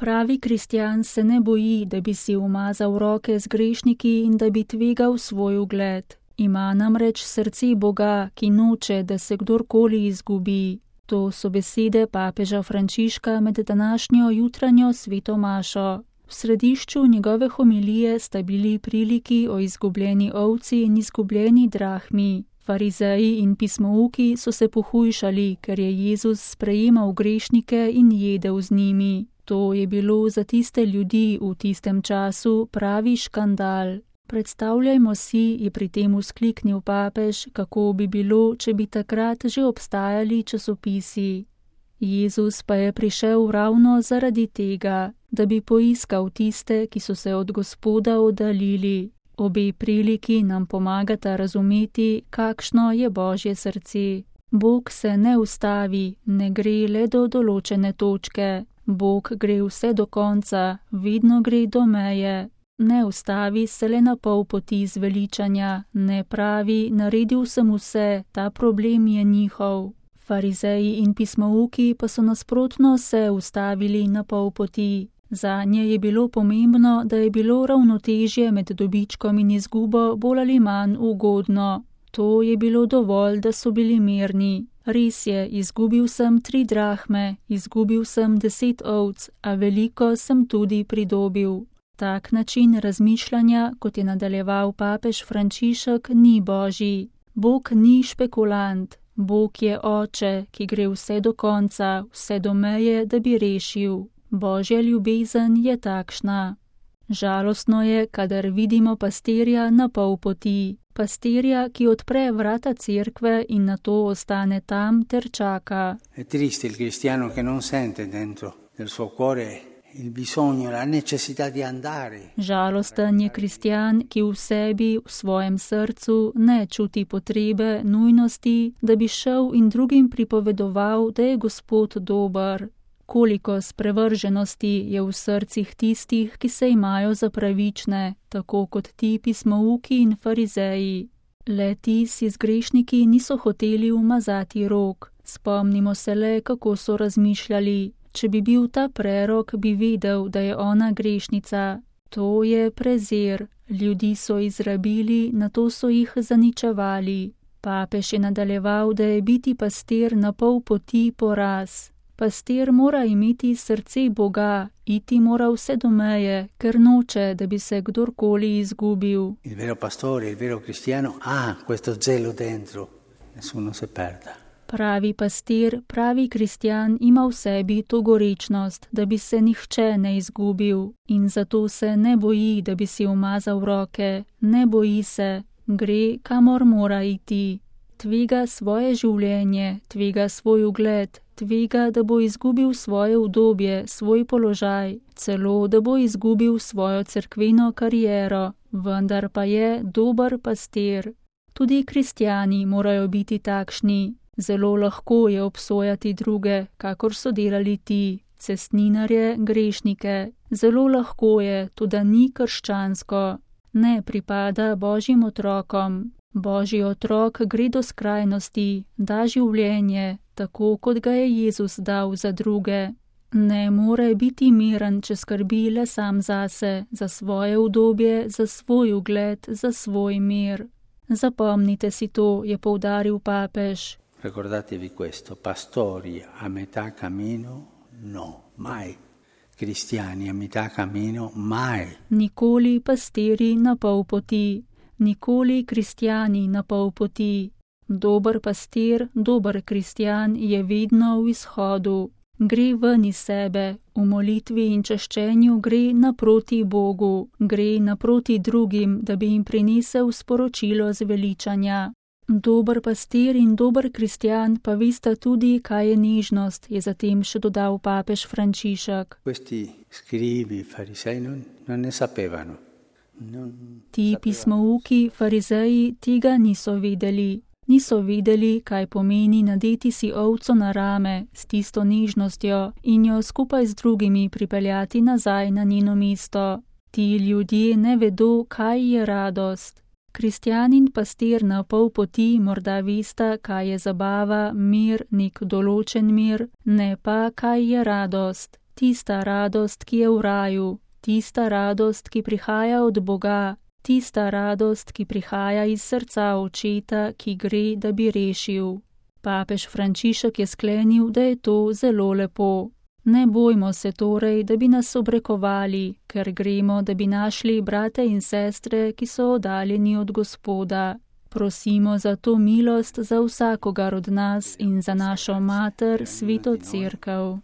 Pravi kristjan se ne boji, da bi si umazal roke z grešniki in da bi tvegal svoj ugled. Ima namreč srce Boga, ki noče, da se kdorkoli izgubi. To so besede papeža Frančiška med današnjo jutranjo sveto mašo. V središču njegove homilije sta bili priliki o izgubljeni ovci in izgubljeni drahmi. Farizeji in pismouki so se pohujšali, ker je Jezus sprejemal grešnike in jedel z njimi. To je bilo za tiste ljudi v tistem času pravi škandal. Predstavljajmo si, je pri tem vzkliknil papež, kako bi bilo, če bi takrat že obstajali časopisi. Jezus pa je prišel ravno zaradi tega, da bi poiskal tiste, ki so se od Gospoda oddaljili. Obe priliki nam pomagata razumeti, kakšno je Božje srce. Bog se ne ustavi, ne gre le do določene točke. Bog gre vse do konca, vedno gre do meje. Ne ustavi se le na pol poti zveličanja, ne pravi, naredil sem vse, ta problem je njihov. Farizeji in pismouki pa so nasprotno se ustavili na pol poti. Zanje je bilo pomembno, da je bilo ravnotežje med dobičkom in izgubo bolj ali manj ugodno. To je bilo dovolj, da so bili mirni. Res je, izgubil sem 3 drahme, izgubil sem 10 ovc, a veliko sem tudi pridobil. Tak način razmišljanja, kot je nadaljeval papež Frančišek, ni božji. Bog ni špekulant. Bog je oče, ki gre vse do konca, vse do meje, da bi rešil. Božja ljubezen je takšna. Žalostno je, kadar vidimo pastirja na pol poti. Pastirja, ki odpre vrata cerkve in nato ostane tam ter čaka. È triste il cristiano che non sente dentro nel suo cuore il bisogno, la necessità di andare. Žalosten je kristjan, ki v sebi, v svojem srcu ne čuti potrebe, nujnosti, da bi šel in drugim pripovedoval, da je Gospod dober. Koliko sprevrženosti je v srcih tistih, ki se imajo za pravične, tako kot ti pismouki in farizeji. Le ti si z grešniki niso hoteli umazati rok. Spomnimo se le, kako so razmišljali. Če bi bil ta prerok, bi vedel, da je ona grešnica. To je prezir. Ljudi so izrabili, nato so jih zaničevali. Papež je nadaljeval, da je biti pastir na pol poti poraz. Pastir mora imeti srce Boga, iti mora vse do meje, ker noče, da bi se kdorkoli izgubil. Il vero pastore, il vero cristiano ha questo zelo dentro, nessuno se perda. Pravi pastir, pravi kristjan ima v sebi to gorečnost, da bi se nihče ne izgubil in zato se ne boji, da bi si umazal roke, ne boji se, gre, kamor mora iti. Tvega svoje življenje, tvega svoj ugled, tvega, da bo izgubil svoje udobje, svoj položaj, celo, da bo izgubil svojo cerkveno kariero, vendar pa je dober pastir. Tudi kristjani morajo biti takšni. Zelo lahko je obsojati druge, kakor so delali ti, cestninarje, grešnike. Zelo lahko je, tudi ni krščansko. Ne pripada Božjim otrokom. Božji otrok gre do skrajnosti, da življenje, tako kot ga je Jezus dal za druge. Ne more biti miren, če skrbi le sam zase, za svoje udobje, za svoj ugled, za svoj mir. Zapomnite si to, je poudaril papež. Ricordatevi questo, pastori a metà cammino, no, mai. Cristiani a metà cammino, mai. Nikoli pastiri na pol poti. Nikoli kristjani na pol poti. Dober pastir, dober kristjan je vedno v izhodu. Gre ven iz sebe, v molitvi in čaščenju gre naproti Bogu, gre naproti drugim, da bi jim prinesel sporočilo zveličanja. Dober pastir in dober kristjan pa vesta tudi, kaj je nežnost, je zatem še dodal papež Frančišek. Questi scribi farisei non ne sapevano. Ti pismouki, farizeji tega niso vedeli. Niso vedeli, kaj pomeni nadeti si ovco na rame s tisto nežnostjo in jo skupaj z drugimi pripeljati nazaj na njeno mesto. Ti ljudje ne vedo, kaj je radost. Kristjan in pastir na pol poti morda vesta, kaj je zabava, mir, nek določen mir, ne pa, kaj je radost. tista radost, ki je v raju, tista radost, ki prihaja od Boga, tista radost, ki prihaja iz srca Očeta, ki gre, da bi rešil. Papež Frančišek je sklenil, da je to zelo lepo. Ne bojmo se torej, da bi nas obrekovali, ker gremo, da bi našli brate in sestre, ki so oddaljeni od Gospoda. Prosimo za to milost za vsakogar od nas in za našo mater, Sveto Cerkev.